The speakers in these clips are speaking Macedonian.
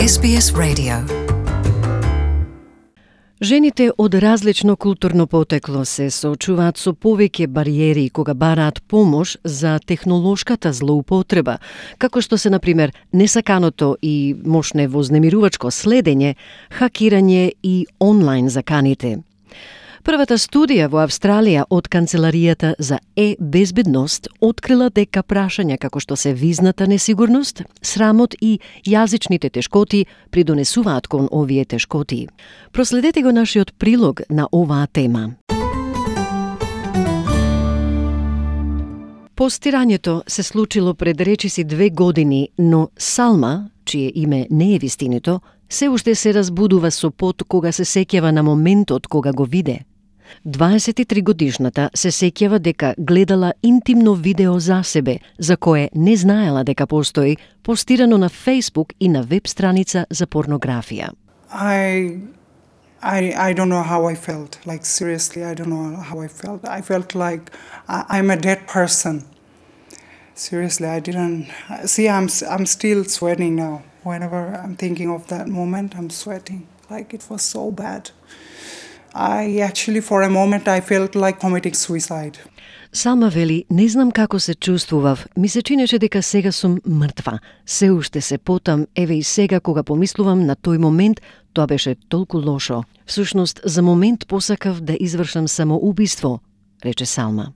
SBS Radio. Жените од различно културно потекло се соочуваат со повеќе бариери кога бараат помош за технолошката злоупотреба, како што се, например, несаканото и мошне вознемирувачко следење, хакирање и онлайн заканите. Првата студија во Австралија од Канцеларијата за безбедност открила дека прашања како што се визната несигурност, срамот и јазичните тешкоти придонесуваат кон овие тешкоти. Проследете го нашиот прилог на оваа тема. Постирањето се случило пред речиси 2 години, но Салма, чие име не е вистинито, се уште се разбудува со пот кога се сеќава на моментот кога го виде. 23 годишната се сеќава дека гледала интимно видео за себе, за кое не знаела дека постои, постирано на Facebook и на веб страница за порнографија. I don't know how I felt. Like, seriously, I don't know how I felt. I felt like I'm a dead person. Seriously, I didn't... See, I'm still sweating now. Whenever I'm thinking of that moment, I'm sweating. Like, it was so bad. I actually, for a moment, I felt like committing suicide. Салма вели, не знам како се чувствував, ми се чинеше дека сега сум мртва. Се уште се потам, еве и сега кога помислувам на тој момент, тоа беше толку лошо. Всушност, за момент посакав да извршам самоубиство, рече Салма.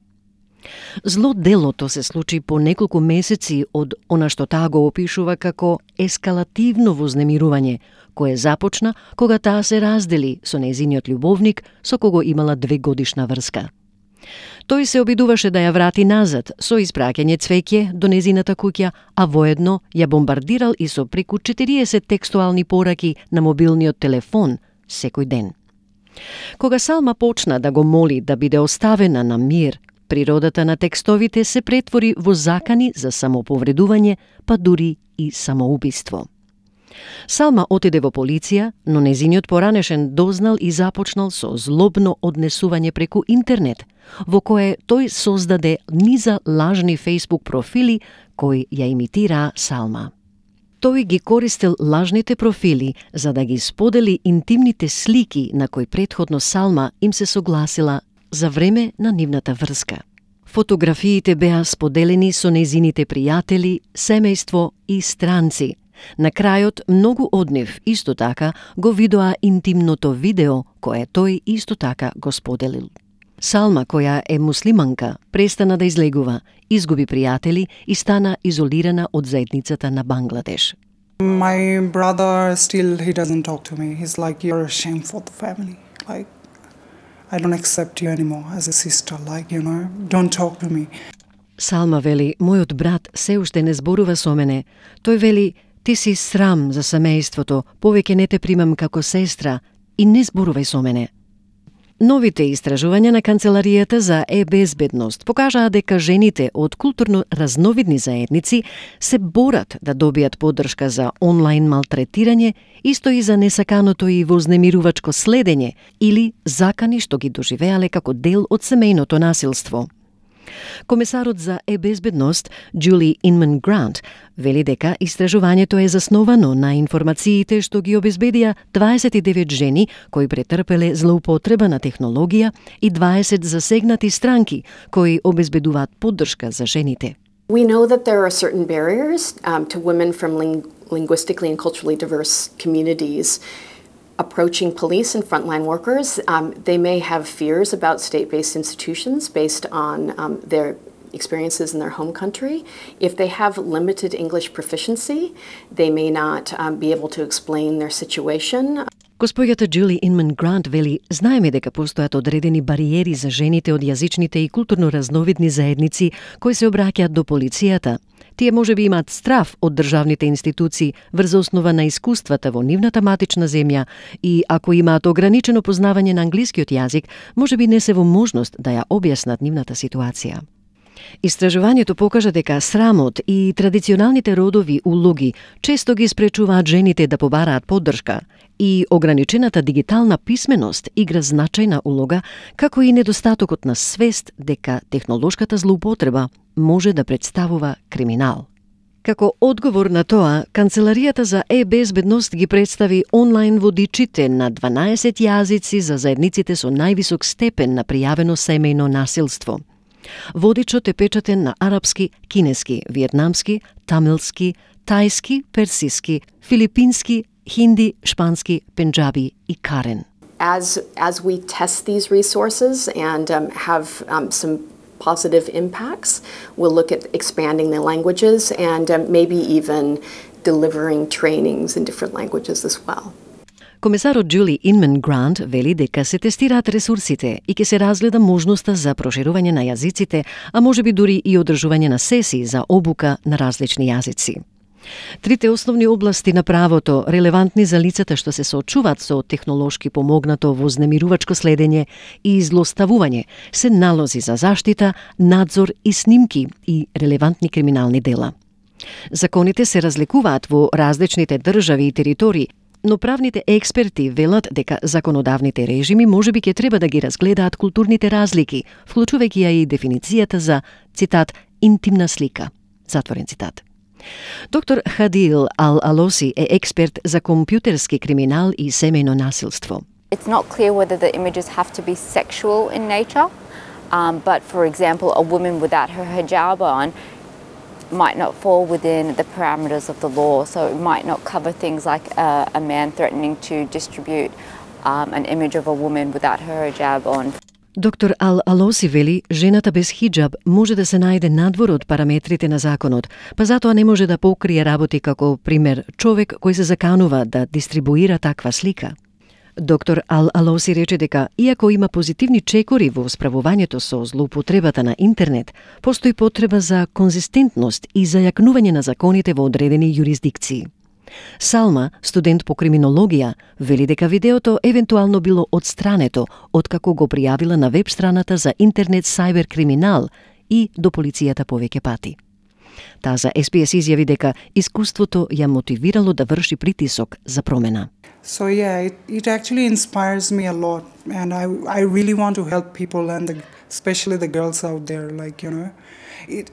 Зло делото се случи по неколку месеци од она што таа го опишува како ескалативно вознемирување, кое започна кога таа се раздели со нејзиниот љубовник со кого имала 2-годишна врска. Тој се обидуваше да ја врати назад со испраќање цвеќе до нејзината куќа, а воедно ја бомбардирал и со преку 40 текстуални пораки на мобилниот телефон секој ден. Кога Салма почна да го моли да биде оставена на мир, природата на текстовите се претвори во закани за самоповредување, па дури и самоубиство. Салма отиде во полиција, но нејзиниот поранешен дознал и започнал со злобно однесување преку интернет, во кое тој создаде низа лажни Facebook профили кои ја имитираа Салма. Тој ги користел лажните профили за да ги сподели интимните слики на кои претходно Салма им се согласила за време на нивната врска. Фотографиите беа споделени со нејзините пријатели, семејство и странци. На крајот, многу од нив исто така го видоа интимното видео кое тој исто така го споделил. Салма, која е муслиманка, престана да излегува, изгуби пријатели и стана изолирана од заедницата на Бангладеш. My brother still, he doesn't talk to me. He's like, you're a shame for the family. Like, I don't accept you anymore as a sister. Like, you know, don't talk to me. Салма вели, мојот брат се уште не зборува со мене. Тој вели, ти си срам за семејството, повеќе не те примам како сестра и не зборувај со мене. Новите истражувања на Канцеларијата за безбедност покажаа дека жените од културно разновидни заедници се борат да добијат поддршка за онлайн малтретирање, исто и за несаканото и вознемирувачко следење или закани што ги доживеале како дел од семејното насилство. Комесарот за безбедност Джули Инман Грант вели дека истражувањето е засновано на информациите што ги обезбедија 29 жени кои претрпеле злоупотреба на технологија и 20 засегнати странки кои обезбедуваат поддршка за жените. We know that there are certain barriers to women from linguistically and culturally diverse communities approaching police and frontline workers. They may have fears about state-based institutions based on their experiences in their home country. If they have limited English proficiency, they may not be able to explain their situation. Госпоѓата Джули Инман Грант вели, знаеме дека постојат одредени бариери за жените од јазичните и културно разновидни заедници кои се обраќаат до полицијата. Тие можеби имаат страв од државните институции врз основа на искуствата во нивната матична земја и ако имаат ограничено познавање на англискиот јазик, можеби не се во можност да ја објаснат нивната ситуација. Истражувањето покажа дека срамот и традиционалните родови улоги често ги спречуваат жените да побараат поддршка и ограничената дигитална писменост игра значајна улога, како и недостатокот на свест дека технолошката злоупотреба може да представува криминал. Како одговор на тоа, Канцеларијата за е-безбедност ги представи онлайн водичите на 12 јазици за заедниците со највисок степен на пријавено семејно насилство. Водичот е печатен на арапски, кинески, виетнамски, тамилски, тајски, персиски, филипински, хинди, шпански, пенџаби и карен. As we test these resources and have some positive impacts, we'll look at expanding the languages and maybe even delivering trainings in different languages as well. Комесарот Джули Инман Грант вели дека се тестираат ресурсите и ќе се разгледа можноста за проширување на јазиците, а можеби дури и одржување на сесии за обука на различни јазици. Трите основни области на правото, релевантни за лицата што се соочуваат со технолошки помогнато вознемирувачко следење и злоставување, се налози за заштита, надзор и снимки и релевантни криминални дела. Законите се разликуваат во различните држави и територии, но правните експерти велат дека законодавните режими можеби ќе треба да ги разгледаат културните разлики, вклучувајќи ја и дефиницијата за, цитат, интимна слика. Затворен цитат. Доктор Хадил Ал-Алоси е експерт за компјутерски криминал и семејно насилство. It's not clear whether the images have to be sexual in nature, but for example, a woman without her hijab on might not fall within the parameters of the law, so it might not cover things like a man threatening to distribute an image of a woman without her hijab on. Доктор Ал-Алоси вели, жената без хиджаб може да се најде надвор од параметрите на законот, па затоа не може да покрие работи како, пример, човек кој се заканува да дистрибуира таква слика. Доктор Ал-Алоси рече дека, иако има позитивни чекори во справувањето со злоупотребата на интернет, постои потреба за конзистентност и зајакнување на законите во одредени јурисдикции. Салма, студент по криминологија, вели дека видеото евентуално било отстрането откако го пријавила на веб страната за интернет сајбер криминал и до полицијата повеќе пати. Таа за SBS изјави дека искуството ја мотивирало да врши притисок за промена. So yeah, it actually inspires me a lot, and I really want to help people and especially the girls out there. Like, you know,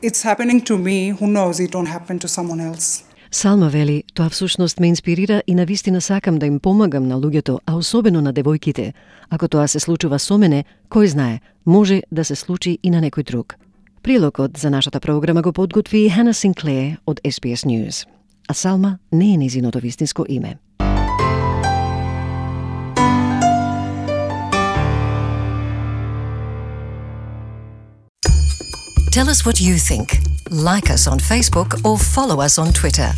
it's happening to me. Who knows? It don't happen to someone else. Салма вели, тоа всушност ме инспирира и навистина сакам да им помагам на луѓето, а особено на девојките. Ако тоа се случува со мене, кој знае, може да се случи и на некој друг. Прилогот за нашата програма го подготви Хана Синклер од SBS News. А Салма не е незиното вистинско име. Tell us what you think. Like us on Facebook or follow us on Twitter.